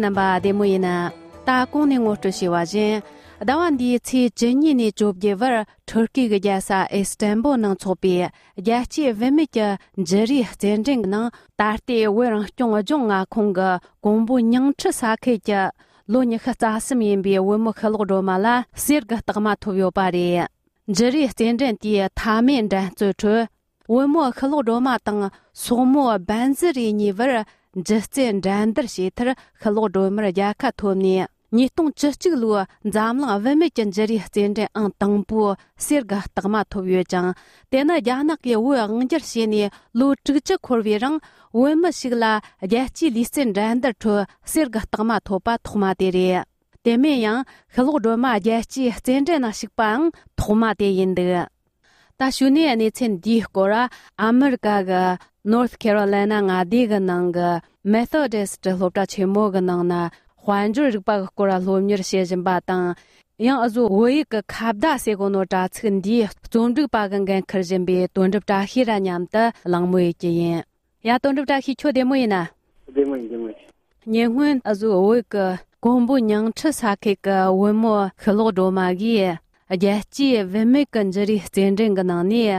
namba demoina ta kongni ngoto shiwajin dawandi chi jenni ni jobge war Turkey ge jasa Istanbul nang chopi yachi vemike jeri zenjing nang tarti werang chong a khong gongbu nyang chi sa ke ja lo ni kha za sim yin bi we mo khalo ro mala sir ga tagma thobyo pare jeri zenjing ti ta men da zu chu we mo khalo ro ma tang so mo ban zri ni war jzen dandar shi tar khalo ro mar ya ka thomni你动这个路，咱们外面经这里现在当铺些个大马头月章，但那家那个我这些呢，路这块位上，我们是啦，也几里生人的出些个大马头把头马的嘞，对面样，和路多嘛也几现在那些帮头马的人的。大学呢，你从第个啦，美国个 North Carolina 啊，这个那个 Methodist 或者全部个那呢。环州这个国家罗米尔先生把当，让阿祖我一个卡不大些个诺扎村地，从这个把跟科人比蹲着扎黑人娘的浪木基因，呀蹲着扎黑缺点么呢？点么？年婚阿祖我一个公布娘吃啥开个文末和老多嘛个，也记文没跟这里真正个能力，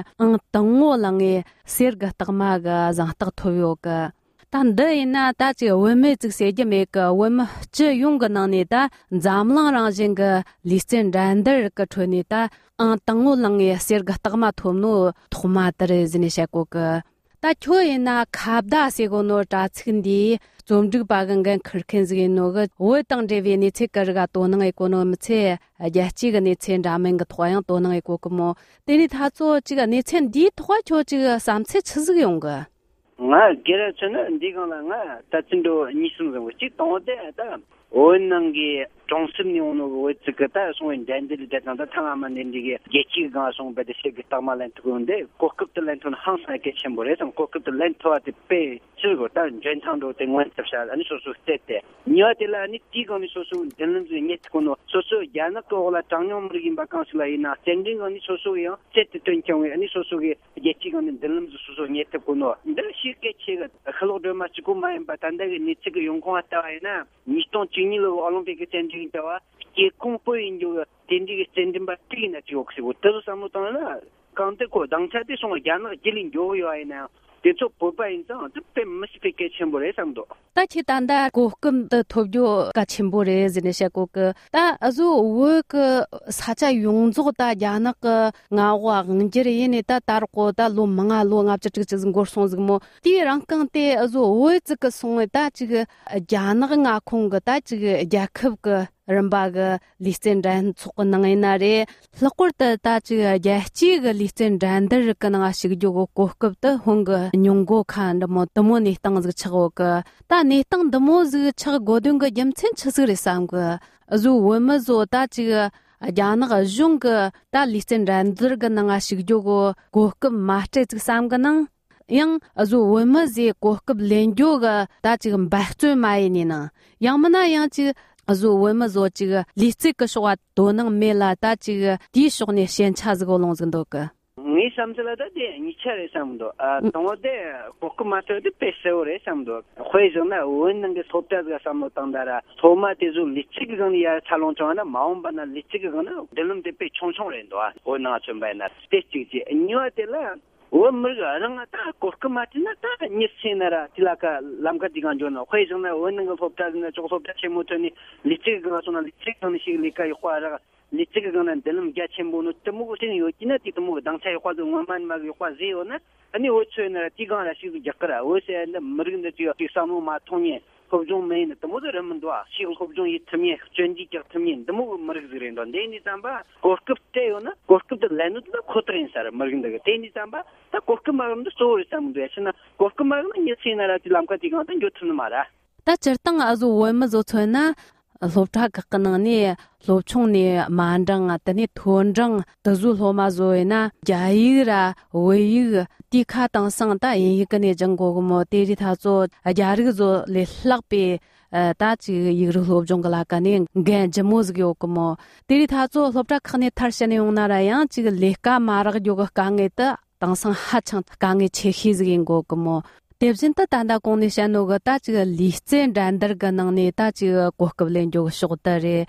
等我啷个些个大嘛个让大头有个。但对呢，大家我们这些姐妹个，我们这用个能力的，咱们让人个理性人的个穿的的，当我啷个些个大嘛头脑头嘛的人那些个，但确呢，看不到些个那扎村的，从这个把跟可看这个那个，我当这边你这个个多能一个那么这，也这个你村咱们个同样多能一个个么，但是他做这个你村的话就这个三次吃这个用个。nga gera chana ndiga la nga ta chindo nisum zo chi tongde da onangi tongsim ni ono go chikata so indendil da ta thama nendige gechi ga so be de seg tamalan tugonde kokup de lenton hansa ke chembore sam kokup de lento at pe chirgo ta jentang do tengwan tapsha ani so stete nyate la ni tigo ni so denlen zu net kono so yana ko la tangyom rigin bakans la ina sending ani so yo sete tenkyong ani so ge gechi ga denlen zu net kono ndel shirke chega khalo de ma chiku mai batanda ni chig yongko ata ina ni ton chingilo olympic changing tawa ke kumpo injo tendige sending ba tina chokse wotaru samutana kante ko dangcha de so yana jilin jo yo ina 대초 보바인상 특별 미스피케 첨보래 상도 다치 단다 고금 더 토교 가 첨보래 지내셔고 그다 아주 워그 사자 용조다 야나가 나와 응지리네 다 다르고다 로망아 로압저 저저 고송즈 뭐 디랑강테 아주 워즈가 송에다 지가 야나가 나콩가다 지가 야컵가 람바가 리스텐단 초건낭이나레 럭거다 다지가 야치가 리스텐단더 그나가 시기조고 고급다 홍가 뇽고 칸다 뭐 도모니 땅즈 차고가 다니 땅 도모즈 차고 고든가 염첸 차스르 상가 아주 원마조 다지가 야나가 중가 다 리스텐단더 그나가 시기조고 고급 마스터 상가낭 양 아주 원마지 고급 렌조가 다 지금 박주 마이니나 양마나 양지 아주 원마조 지가 리스크 쇼와 도능 메라다 지가 디쇼네 현차즈고 롱즈도가 니 삼슬라다 데 니차레 삼도 동어데 고크마토데 페세오레 삼도 회전나 원능게 소타즈가 삼도 땅다라 소마데주 리치기건이야 살롱정하나 마음바나 리치기건나 델름데 페 총총렌도 오나 좀바나 스테치지 뉴아텔라 원물가 랑아타 고크마티나 타 니세나라 tilaka lamka diganjono 회전나 원능게 소타즈나 조소타 체모토니 리치기건나 리치기건이 시리카 이화라 리치기건은 델름 갸쳔보노 뜨무고신 요기나 티뜨무 당차이 화도 원만 마기 화지오나 아니 오츠나 티가나 시기 작가라 오세나 머근데 티 사무 마통이 법종 메인 뜨무들은도 시고 법종 이 틈이 전지적 틈이 너무 머그지린도 데니 잠바 고급테요나 고급데 렌우도 코트린사라 머근데 데니 잠바 다 고급마름도 소리 삼도 야시나 고급마름 니치나라 람카 티가는 요트는 마라 다 저땅 아주 원마조 츠나 lobta kaknani lobchongni mandang atani thonjang tazu lomazoina jaira weyi tikha tangsang ta yikane janggo mo teri thazo ajarig zo le hlakpe ta chi yigru lobjong la kane gan jamoz gyo komo teri thazo lobta khane tharshane yongnara ya chi leka marag yoga kange ta tangsang hachang kange chehizgin go komo Debzinta tanda kongni shanoga ta chiga lihzen randar ga nangni ta chiga kohkablen joga shogdare.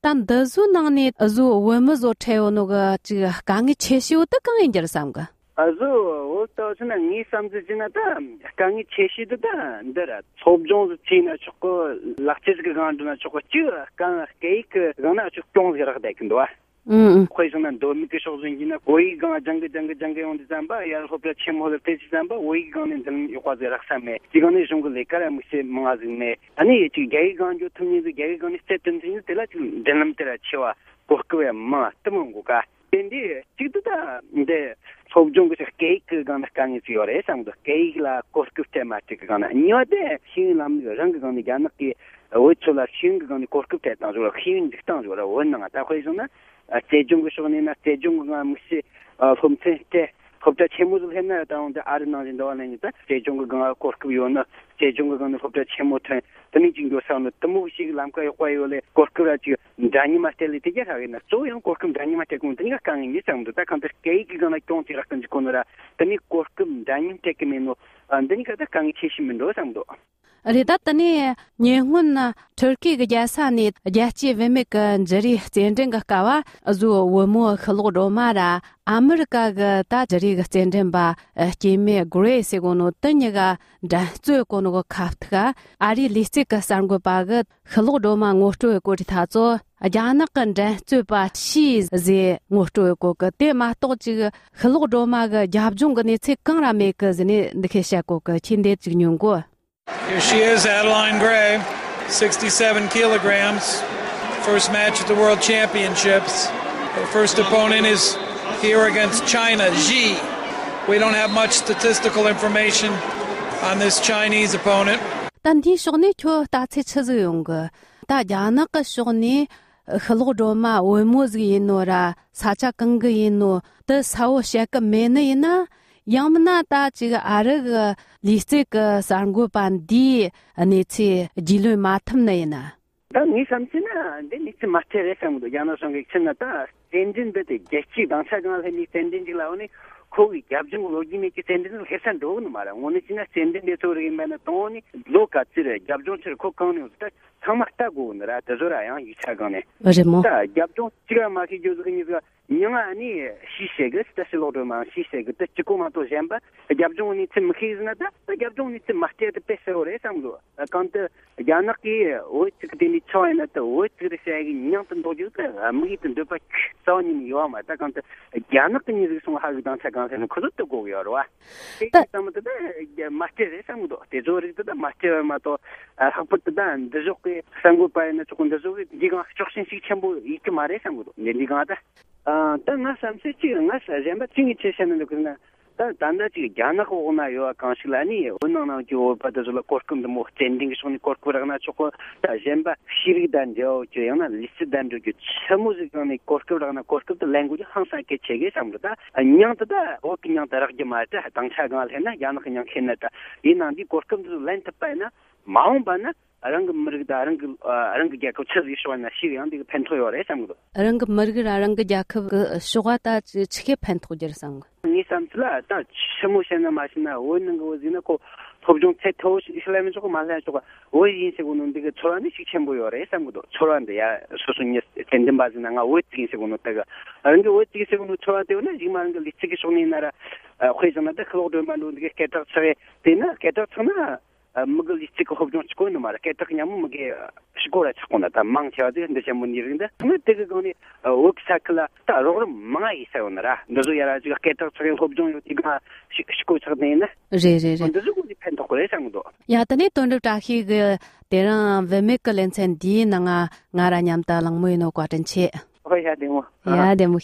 Tan dazu nangni azu wamazo chayo noga chiga kangi cheshiyo ta kangi jar samga. Azu oto chuna ni samzi jina ta kangi cheshido ta ndara sobjong china choko lakchis ga ganduna choko chiga kang keik gana chok kyong ga da kindwa. Khoizana domi ke shogzingina oi ga jang on zamba ya hopla chemol te zamba oi ga nen dal yoqaz rakhsame digone jungle lekara muse mangazme ani chi gai ga jo thuni gai ga ni stetten tin tela denam tela chiwa kokwe ma tamungu ga Dendi chigda de sobjong ge cake ga na kan is yore samdo cake la korku thematic ga na nyode shin lam rang ga ni ga na ki ochola shin ga ni korku ta ta jo hin diktan jo la won na ta khoizona Sejong shogni Sejong ga musi phomte khopta chemuzul henna taung da arna jin dawana ni ta Sejong ga korku yona Sejong ga na khopta chemothe tani jingyo sauna tamu shi lam ka yoyole korku ra ji dani mateli te gera na so yon korku dani mate kun tani ga kan ni samdo ta kan ta cake ga na konti ra kan ji konora tani korku dani te kemeno andani ka ta kan cheshimen do samdo Rida tani nyehun na Turkey ga jasa ni jachi vemek jari zendeng ga kawa azu womo khalo roma ra America ga ta jari ga zendeng ba kime grace gono tanya ga da zu kono go kaftga ari lisik ga sango ba ga khalo roma ngoto ko ri tha zo ajana kan da zu ba chi ze ngoto ko ga te ma to ji khalo roma ga jabjung ga ni che kang ra me ka zene dikhe sha ko ga chinde ji nyung go Here she is, Adeline Gray, 67 kilograms. First match at the World Championships. Her first opponent is here against China, Xi. We don't have much statistical information on this Chinese opponent. Tandi shogni kyo ta che cheze yong ta yana ka shogni khlo roma wemos gi nora sacha kang gi no de sao shek mena ina Yamna ta chiga arag lisik sangu pandi anichi jilu matam na ina. Da ni samchina de ni matere samdo yana songe chna ta tendin de gechi dansa ganal he ni tendin jilaoni kogi gyabjung logi me ki tendin hesan do no mara oni china tendin de tori mena toni loka chire gyabjung chire ko kani usta samata go nara ta zora ya yicha gane. Remo. Ta gyabjung chiga ma ki jozu ni ga Nyanga ni shisega stasilo do ma shisega de chikoma to jamba gyabjung ni tim khizna da gyabjung ni tim mahte de pesore samdo kant yanaki o tikde ni choina to o tikde segi nyang tan do ju ka amgi tan do pa soni ni yo ma ta kant yanak ni ri song ha dan sa gan sen khudut to go yo wa ta samdo de mahte de samdo te zori de mahte ma to haput dan de joki sangu pa na chukun de joki diga chokshin si chambo ik mare samdo ne diga da nga samse chi nga sa jamba chingi cheshanen dokna ta danda chi gyana ko na yo kanshilani onna na jo pada zola korkum de mo tending shoni korkura na choko ta jamba shiridan jo jo yana listidan jo chamuz gani korkura na korkum de language hansa ke chege samda anyang ta o kinyang tarag jamaata tangcha gal hena yana kinyang khenna ta ina di korkum de len ta pa na maung ba na arang margda arang gya ko chhi shwana shi yang de pentho yore samdo arang margda arang gya ko shugata chike pentho jer sang ni samtla ta chmu shena mashina wonng go zina ko pobjong cheto islamin 조금 말해 조금 오이 인세고는 되게 초란이 식첨 보여래 samdo 초란데 야 소소니 텐덴 바즈나가 오이 인세고는 다가 아는게 오이 인세고는 초라되오네 지만 그 리치기 손이 나라 회전한테 클로드 만도게 개터 처에 되나 개터 처나 먹을 리치고 허브종 치고 있는 말에 개터 그냥 뭐게 시고라 찾고나 다 망쳐야지 근데 전문 일인데 근데 되게 거니 워크사클라 다 로그 망아 있어요나라 너도 야라 지가 개터 처에 허브종 이거 시고 찾네나 제제제 근데 저거 디펜드 거래 상도 야더니 돈도 다히 그 대랑 베메클렌센 디나가 나라냠다 랑모이노 과든체 hoya demo ya demo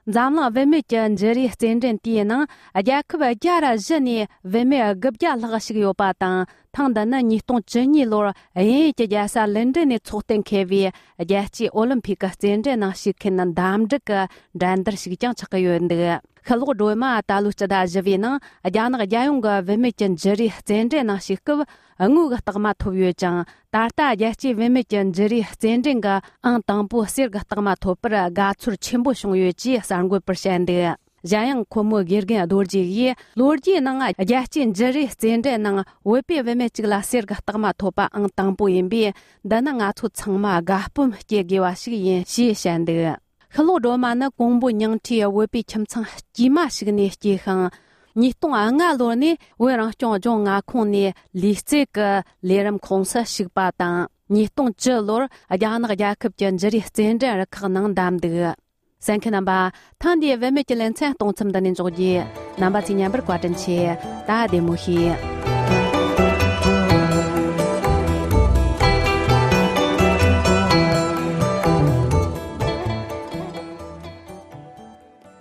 zamla veme janjeri zenden tiena ajakba jara jeni veme gabja lagashig yo patan tangda na ni tong jeni lo ai ja sa lenden ni choten kevi ajachi olympic zenden na shikenan damjka dandar shigjang chaqyo nde khalo doima talu chada javina ajana ga jayung ga veme janjeri zenden na shikb angu ga tagma thobyo jang tarta ajachi veme janjeri zenden ga ang tangbu sir ga tagma thopra ga chur chimbo shongyo ji 3% Jiang Komo Girgen Dorji Yi, Lorji Nanga Yachin Jerry Zende Nang, Wepi Vemechila Sirga Tama Topa Ang Tangpo Yinbi, Dananga to Changma Gapum Gegiwashi Yin Xi Shande. Hello Roma na Gongbu Nyang Tia Wepi Chimchang Jima Shigni Jihang. Ni tong anga lo ni we rang chong chong nga khong ni li ce ge le ram khong sa shig ba dang ni tong zhe lo a ya na ga kep jen zhe ri zen zhe er ke nang dam de san ke nan ba tan die we me je len chen tong chim da nin zhou ji nan ba jin yan ber gua zhen qi da de mu hi